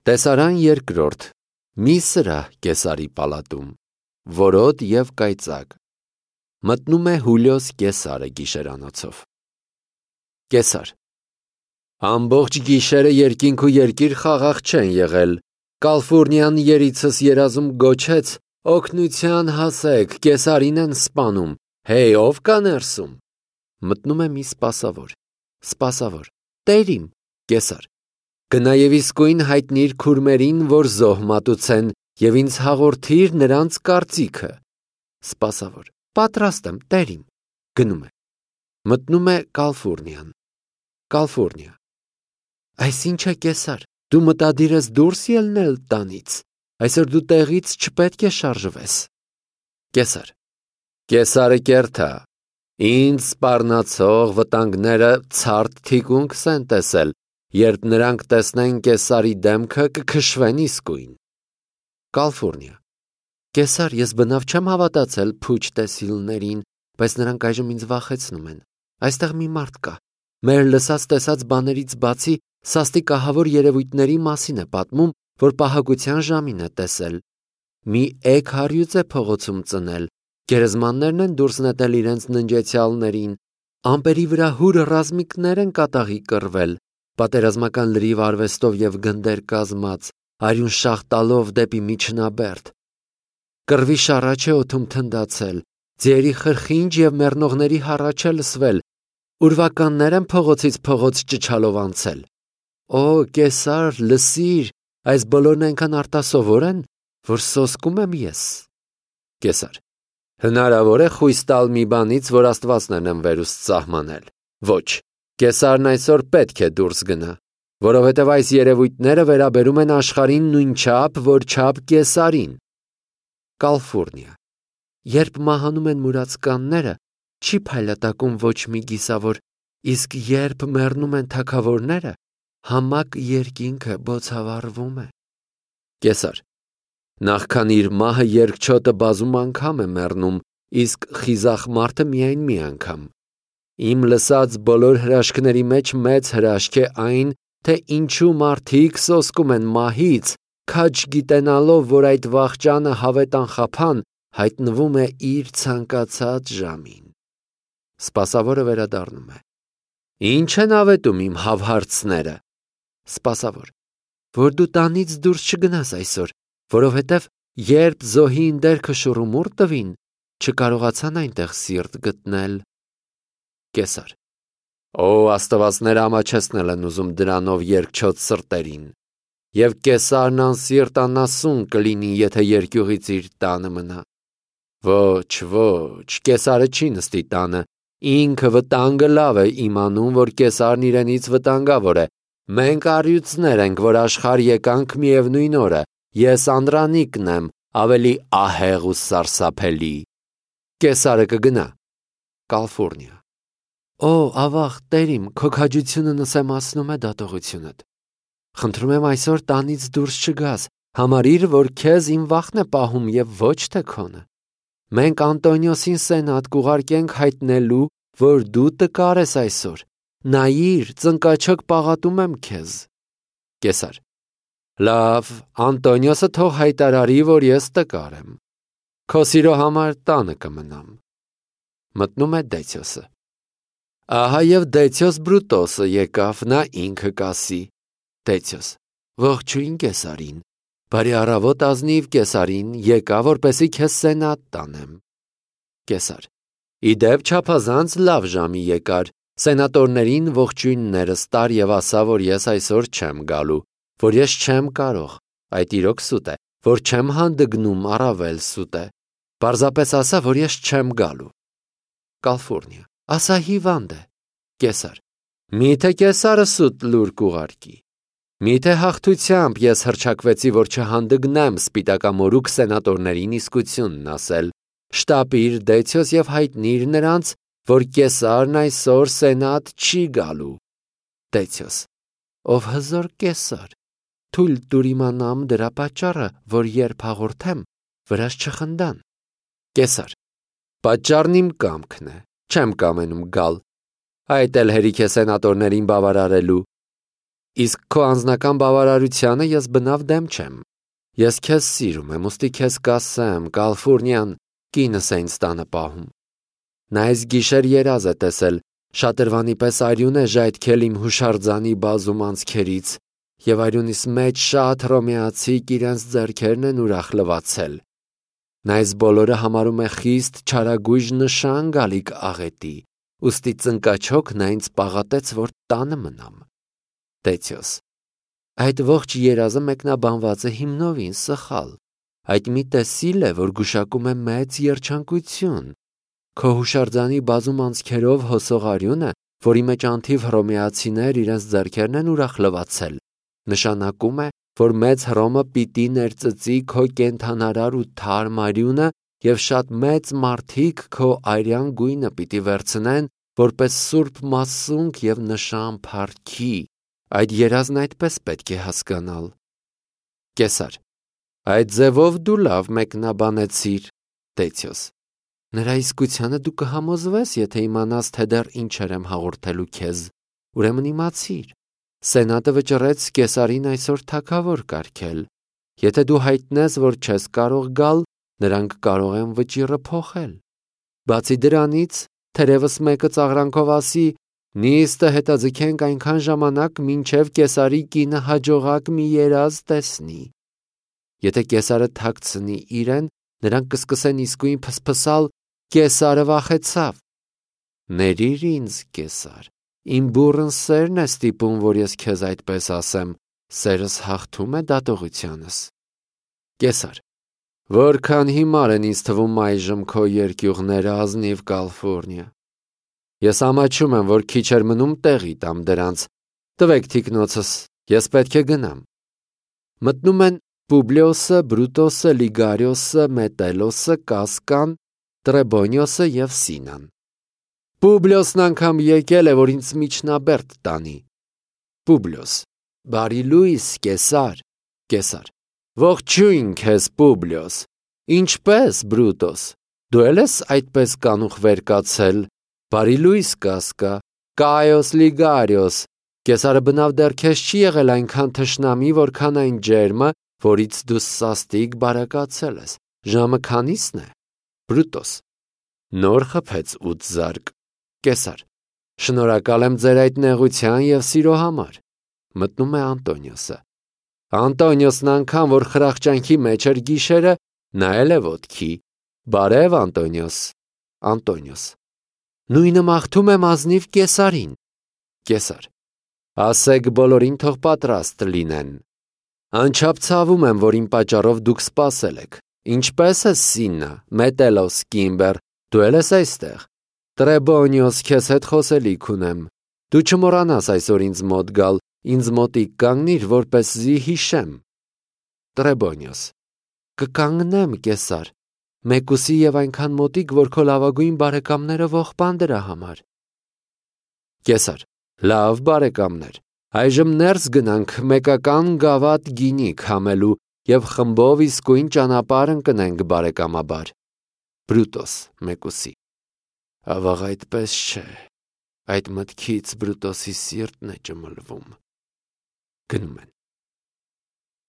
Տեսարան երկրորդ, մի սրահ Կեսարի պալատում, որոտ և կայծակ, մտնում է Հուլիոս Կեսարը գիշերանոցով։ Կեսար. ամբողջ գիշերը երկինք ու երկիր խաղաղ չեն եղել, Կալֆուրնիան երիցս երազում գոչեց, օգնության հասեք, Կեսարին են սպանում, հեյ, ով կա ներսում։ Մտնում է մի սպասավոր, տեր իմ, Կեսար, գնա և իսկույն հայտնիր քուրմերին, որ զոհ մատուցեն, և ինձ հաղորդիր նրանց կարծիքը։ Սպասավոր. պատրաստ եմ, տեր իմ, գնում է։ Մտնում է Կալֆուրնիա. Այս ինչ է, Կեսար, դու մտադիր ես դուրս ելնել տանից, այսօր դու տեղից չպետք է շարժվես։ Կեսար. Կեսարը կերթա, ինձ սպառնացող վտանգները ցարտ թիկունքս են տեսել, երբ նրանք տեսնեն Կեսարի դեմքը կքշվեն իսկույն։ Կալֆուրնիա. Կեսար, ես բնավ չեմ հավատացել փուչ տեսիլներին, բայց նրանք այժմ ինձ վախեցնում են։ Այստեղ մի մարդ կա, մեր լսած տեսած բաներից բացի սաստիկ ահավոր երևույթների մասին է պատմում, որ պահակության ժամին է տեսել։ Մի էգ հարյուծ է փողոցում ծնել, գերեզմաններն են դուրս նետել իրենց ննջեցյալներին, ամպերի վրա հուր ռազմիկներ են կատաղի կռվել, պատերազմական լրիվ արվեստով և գնդեր կազմած, արյուն շաղ տալով դեպի միջնաբերդ։ Կռվի շառաչ է օդում թնդացել, ձիերի խրխինջ և մեռնողների հառաչ է լսվել, ուրվականներ են փողոցից փողոց ճչալով անցել։ Օ, Կեսար, լսիր, այս բոլորն այնքան արտասովոր են, որ սոսկում եմ ես։ Կեսար. հնարավոր է խույս տալ մի բանից, որ աստվածներն են վերուստ սահմանել։ Ոչ, Կեսարն այսօր պետք է դուրս գնա, որովհետև այս երևույթները վերաբերում են աշխարհին նույնչափ, որչափ Կեսարին։ Կալֆուրնիա. երբ մահանում են մուրացկանները, չի փայլատակում ոչ մի գիսավոր, իսկ երբ մեռնում են թագավորները, համակ երկինքը բոցավառվում է։ Կեսար. նախքան իր մահը երկչոտը բազում անգամ է մեռնում, իսկ խիզախ մարդը միայն մի անգամ։ Իմ լսած բոլոր հրաշքների մեջ մեծ հրաշք է այն, թե ինչու մարդիկ սոսկում են մահից, քաջ գիտենալով, որ այդ վախճանը հավետ անխափան հայտնվում է իր ցանկացած ժամին։ Սպասավորը վերադառնում է. Ինչ են ավետում իմ հավհարցները։ Սպասավոր. որ դու տանից դուրս չգնաս այսօր, որովհետև երբ զոհին դերքը շուռումուռ տվին, չկարողացան այնտեղ սիրտ գտնել։ Կեսար. Օ, աստվածները ամաչեցնել են ուզում դրանով երկչոտ սրտերին, և Կեսարն անսիրտ անասուն կլինի, եթե երկյուղից իր տանը մնա։ Ոչ, Կեսարը չի նստի տանը, ինքը վտանգը լավ է իմանում, որ Կեսարն իրենից վտանգավոր է։ Մենք առյուծներ ենք, որ աշխարհ եկանք միևնույն օրը, ես անդրանիկն եմ, ավելի ահեղ ու սարսափելի։ Կեսարը կգնա։ Կալֆուրնիա. Օ, ավաղ, տեր իմ, քո քաջությունը նսեմացնում է դատողությունդ։ Խնդրում եմ այսօր տանից դուրս չգաս, համարիր, որ քեզ իմ վախն է պահում և ոչ թե քոնը։ Մենք Անտոնիոսին սենատ կուղարկենք հայտնելու, որ դու տկար ես այսօր։ Նայիր, ծնկաչոք պաղատում եմ քեզ։ Կեսար. լավ, Անտոնիոսը թող հայտարարի, որ ես տկար եմ։ Քո սիրո համար տանը կմնամ։ Մտնում է Դեցիոսը. ահա և Դեցիոս Բրուտոսը եկավ, նա ինքը կասի։ Դեցիոս. ողջույն Կեսարին, բարի առավոտ ազնիվ Կեսարին, եկա, որպեսզի քեզ սենատ տանեմ։ Կեսար. իդեպ չափազանց լավ ժամի եկար, սենատորներին ողջույններս տար և ասա, որ ես այսօր չեմ գալու, որ ես չեմ կարող, այդ իրոք սուտ է, որ չեմ հանդգնում, առավել սուտ է, պարզապես ասա, որ ես չեմ գալու։ Կալֆուրնիա. ասա հիվանդ է։ Կեսար. միթե Կեսարը սուտ լուր կուղարկի։ Միթե հաղթությամբ ես հռչակվեցի, որ չհանդգնեմ սպիտակամորուք սենատորներին իսկությունն ասել, շտապիր Դեցիոս և հայտնիր նրանց, որ Կեսարն այսօր սենատ չի գալու։ Դեցիոս. ով հզոր Կեսար, թույլ տուր իմանամ դրա պատճառը, որ երբ հաղորդեմ, վրաս չխնդան։ Կեսար. պատճառն իմ կամքն է, չեմ կամենում գալ, այդ էլ հերիք է սենատորներին բավարարելու։ Իսկ քո անձնական բավարարությանը ես բնավ դեմ չեմ։ Ես քեզ սիրում եմ, ուստի քեզ կասեմ, Կալֆուրնիան կինս է ինձ տանը պահում։ Նա այս գիշեր երազ է տեսել, շատրվանի պես արյուն է ժայթքել իմ հուշարձանի բազում անցքերից, և արյունիս մեջ շատ հռոմեացիք իրենց ձեռքերն են ուրախ լվացել։ Նա այս բոլորը համարում է խիստ չարագույժ նշան գալիք աղետի, ուստի ծնկաչոք նա ինձ պաղատեց, որ տանը մնամ։ Տեցյոս, այդ ողջ երազը մեկնաբանված է հիմնովին սխալ։ Այդ մի տեսիլ է, որ գուշակում է մեծ երջանկություն։ Քո հուշարձանի բազում անցքերով հոսող արյունը, որի մեջ անթիվ հռոմեացիներ իրենց ձեռքերն են ուրախ լվացել, նշանակում է, որ մեծ Հռոմը պիտի ներծծի քո կենդանարար ու թարմ արյունը և շատ մեծ մարդիկ քո արյան գույնը պիտի վերցնեն, որպես սուրբ մասունք և նշան փառքի։ Այդ երազն այդպես պետք է հասկանալ։ Կեսար. այդ ձևով դու լավ մեկնաբանեցիր։ Տեցյոս. նրա իսկությանը դու կհամոզվես, եթե իմանաս, թե դեռ ինչեր եմ հաղորդելու քեզ, ուրեմն իմացիր։ Սենատը վճռեց Կեսարին այսօր թագավոր կարգել։ Եթե դու հայտնես, որ չես կարող գալ, նրանք կարող են վճիռը փոխել։ Բացի դրանից, թերևս մեկը ծաղրանքով ասի, նիստը հետաձգենք այնքան ժամանակ, մինչև Կեսարի կինը հաջողակ մի երազ տեսնի։ Եթե Կեսարը թաքցնի իրեն, նրանք կսկսեն իսկույն փսփսալ, Կեսարը վախեցավ։ Ներիր ինձ, Կեսար, իմ բուռն սերն է ստիպում, որ ես քեզ այդպես ասեմ, սերս հաղթում է դատողությանս։ Կեսար. որքան հիմար են ինձ թվում այժմ քո երկյուղները, ազնիվ Կալֆուրնիա։ Ես ամաչում եմ, որ քիչ էր մնում տեղի տամ դրանց։ Տվեք թիկնոցս, ես պետք է գնամ։ Մտնում են Պուբլիոսը, Բրուտոսը, Լիգարիոսը, Մետելոսը, Կասկան, Տրեբոնիոսը և Սինան։ Պուբլիոսն անգամ եկել է, որ ինձ միջնաբերդ տանի։ Պուբլիոս. բարի լույս, Կեսար։ Կեսար. ողջույն քեզ, Պուբլիոս։ Ինչպե՞ս, Բրուտոս, դու էլ ես այդպես կանուխ վեր կացել։ Բարի լույս, Կասկա։ Կայոս, Լիգարիոս, Կեսարը բնավ դեռ քեզ չի եղել այնքան թշնամի, որքան այն ջերմը, որից դու սաստիկ բարեկացել ես։ Ժամը քանիսն է։ Բրուտոս. նոր խփեց 8 զարկ։ Կեսար. շնորհակալ եմ ձեր այդ նեղության և սիրո համար։ Մտնում է Անտոնիոսը։ Անտոնիոսն անգամ, որ խրախճանքի մեջ էր գիշերը, նայել է ոտքի։ Բարև, Անտոնիոս։ Անտոնիոս. նույնը մաղթում եմ ազնիվ Կեսարին։ Կեսար. ասեք բոլորին թող պատրաստ լինեն։ Անչափ ցավում եմ, որ իմ պատճառով դուք սպասել եք։ Ինչպե՞ս ես, Սիննա, Մետելոս, Կիմբեր, դու էլ ես այստեղ։ Տրեբոնիոս, քեզ հետ խոսելիք ունեմ։ Դու չմոռանաս այսօր ինձ մոտ գալ, ինձ մոտիկ կանգնիր, որպեսզի հիշեմ։ Տրեբոնիոս. կկանգնեմ, Կեսար, մեկուսի և այնքան մոտիկ, որ քո լավագույն բարեկամները ողբան դրա համար։ Կեսար. լավ, բարեկամներ, այժմ ներս գնանք մեկական գավաթ գինի քամելու և խմբով իսկույն ճանապարհ ընկնենք բարեկամաբար։ Բրուտոս մեկուսի. ավաղ այդպես չէ, այդ մտքից Բրուտոսի սիրտն է ճմլվում։ Գնում են։